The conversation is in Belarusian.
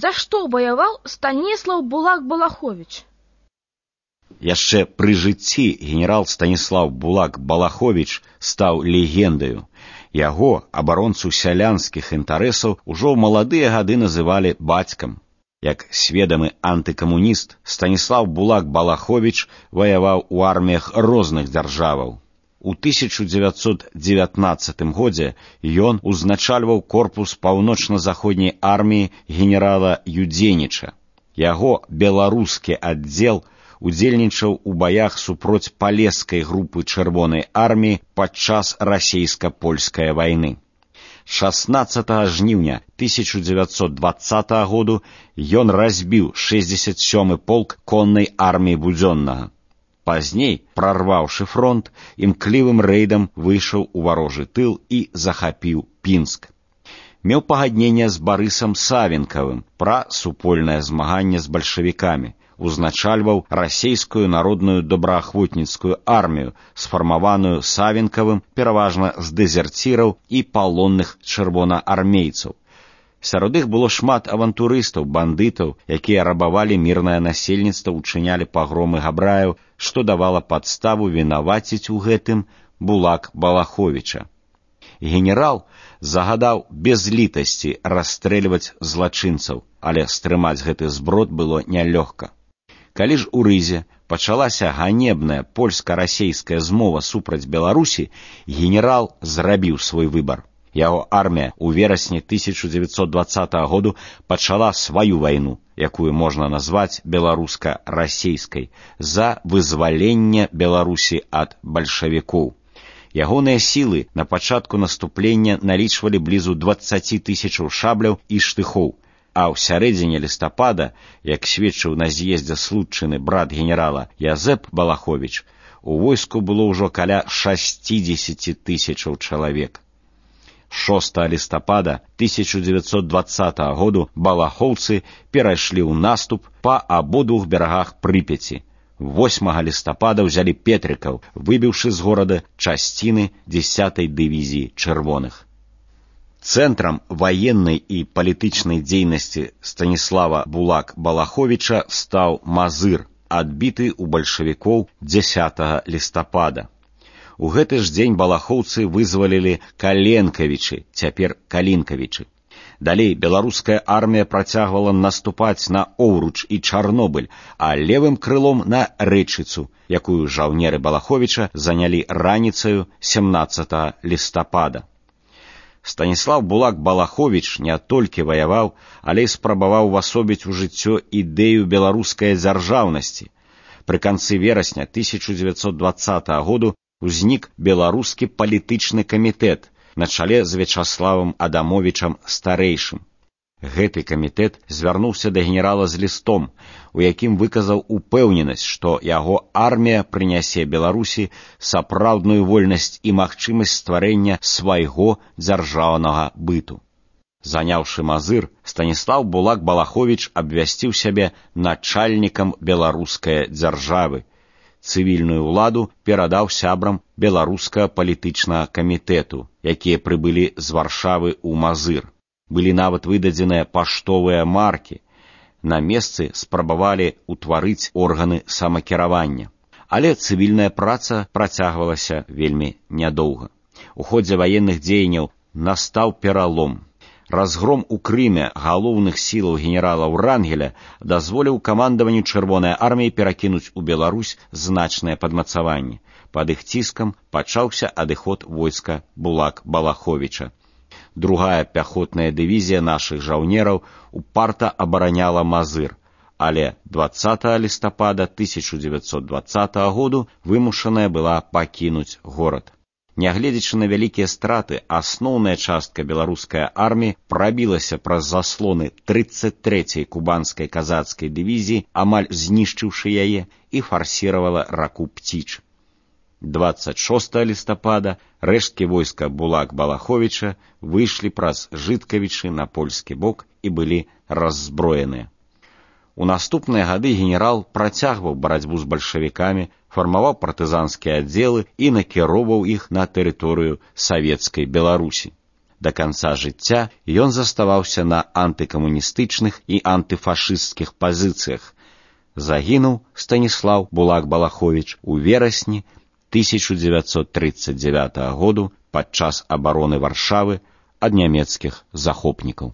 За што ваяваў Станіслаў Булак-Балаховіч? Яшчэ пры жыцці генерал Станіслаў Булак-Балаховіч стаў легендаю. Яго, абаронцу сялянскіх інтарэсаў, ужо ў маладыя гады называлі бацькам. Як сведамы антыкамуніст, Станіслаў Булак-Балаховіч ваяваў у арміях розных дзяржаваў. У 1919 годзе ён узначальваў корпус паўночна-заходняй арміі генерала Юдзеніча. Яго беларускі аддзел удзельнічаў у баях супроць палескай групы чырвонай арміі падчас расейска-польскай вайны. 16 жніўня 1920 году ён разбіў 67-й полк коннай арміі Будзённага. Пазней, прарваўшы фронт, імклівым рэйдам выйшаў у варожы тыл і захапіў Пінск. Меў пагадненне з Барысам Савенкавым пра супольнае змаганне з бальшавікамі, узначальваў расейскую народную добраахвотніцкую армію, сфармаваную Савенкавым пераважна з дэзерціраў і палонных чырвонаармейцаў. Сярод іх было шмат авантурыстаў, бандытаў, якія рабавалі мірнае насельніцтва, учынялі пагромы габраяў, што давала падставу вінаваціць у гэтым Булак-Балаховіча. Генерал загадаў без літасці расстрэльваць злачынцаў, але стрымаць гэты зброд было нялёгка. Калі ж у Рызе пачалася ганебная польска-расейская змова супраць Беларусі, генерал зрабіў свой выбар. Яго армія ў верасні 1920 году пачала сваю вайну, якую можна назваць беларуска-расейскай, за вызваленне Беларусі ад бальшавікоў. Ягоныя сілы на пачатку наступлення налічвалі блізу 20 000 шабляў і штыхоў, а ў сярэдзіне лістапада, як сведчыў на з'ездзе случчыны брат генерала Язэп Балаховіч, у войску было ўжо каля 60 000 чалавек. 6 лістапада 1920 году балахоўцы перайшлі ў наступ па абодвух берагах Прыпяці. 8 лістапада ўзялі Петрыкаў, выбіўшы з горада часціны 10-й дывізіі чырвоных. Цэнтрам ваеннай і палітычнай дзейнасці Станіслава Булак-Балаховіча стаў Мазыр, адбіты ў бальшавікоў 10 лістапада. У гэты ж дзень балахоўцы вызвалілі Каленкавічы, цяпер Калінкавічы. Далей беларуская армія працягвала наступаць на Оўруч і Чарнобыль, а левым крылом на Рэчыцу, якую жаўнеры Балаховіча занялі раніцаю 17 лістапада. Станіслаў Булак-Балаховіч не толькі ваяваў, але і спрабаваў увасобіць у жыццё ідэю беларускай дзяржаўнасці. Пры канцы верасня 1920 году узнік беларускі палітычны камітэт на чале з Вячаславам Адамовічам старэйшым. Гэты камітэт звярнуўся да генерала з лістом, у якім выказаў упэўненасць, што яго армія прынясе Беларусі сапраўдную вольнасць і магчымасць стварэння свайго дзяржаўнага быту. Заняўшы Мазыр, Станіслаў Булак-Балаховіч абвясціў сябе начальнікам беларускай дзяржавы. Цывільную ўладу перадаў сябрам беларускага палітычнага камітэту, якія прыбылі з Варшавы ў Мазыр. Былі нават выдадзеныя паштовыя маркі. На месцы спрабавалі ўтварыць органы самакіравання. Але цывільная праца працягвалася вельмі нядоўга. У ходзе ваенных дзеянняў настаў пералом. Разгром у Крыме галоўных сілаў генерала Урангеля дазволіў камандаванню чырвонай арміі перакінуць у Беларусь значныя падмацаванні. Пад іх ціскам пачаўся адыход войска Булак-Балаховіча. Другая пяхотная дывізія нашых жаўнераў упарта абараняла Мазыр, але 20 лістапада 1920 году вымушаная была пакінуць горад. Нягледзячы на вялікія страты, асноўная частка беларускай арміі прабілася праз заслоны 33-й кубанскай казацкай дывізіі, амаль знішчыўшы яе, і фарсіравала раку Пціч. 26 лістапада рэшткі войска Булак-Балаховіча выйшлі праз Жыткавічы на польскі бок і былі раззброеныя. У наступныя гады генерал працягваў барацьбу з бальшавікамі, фармаваў партызанскія аддзелы і накіроўваў іх на тэрыторыю савецкай Беларусі. Да канца жыцця ён заставаўся на антыкамуністычных і антыфашысцкіх пазіцыях. Загінуў Станіслаў Булак-Балаховіч у верасні 1939 году падчас абароны Варшавы ад нямецкіх захопнікаў.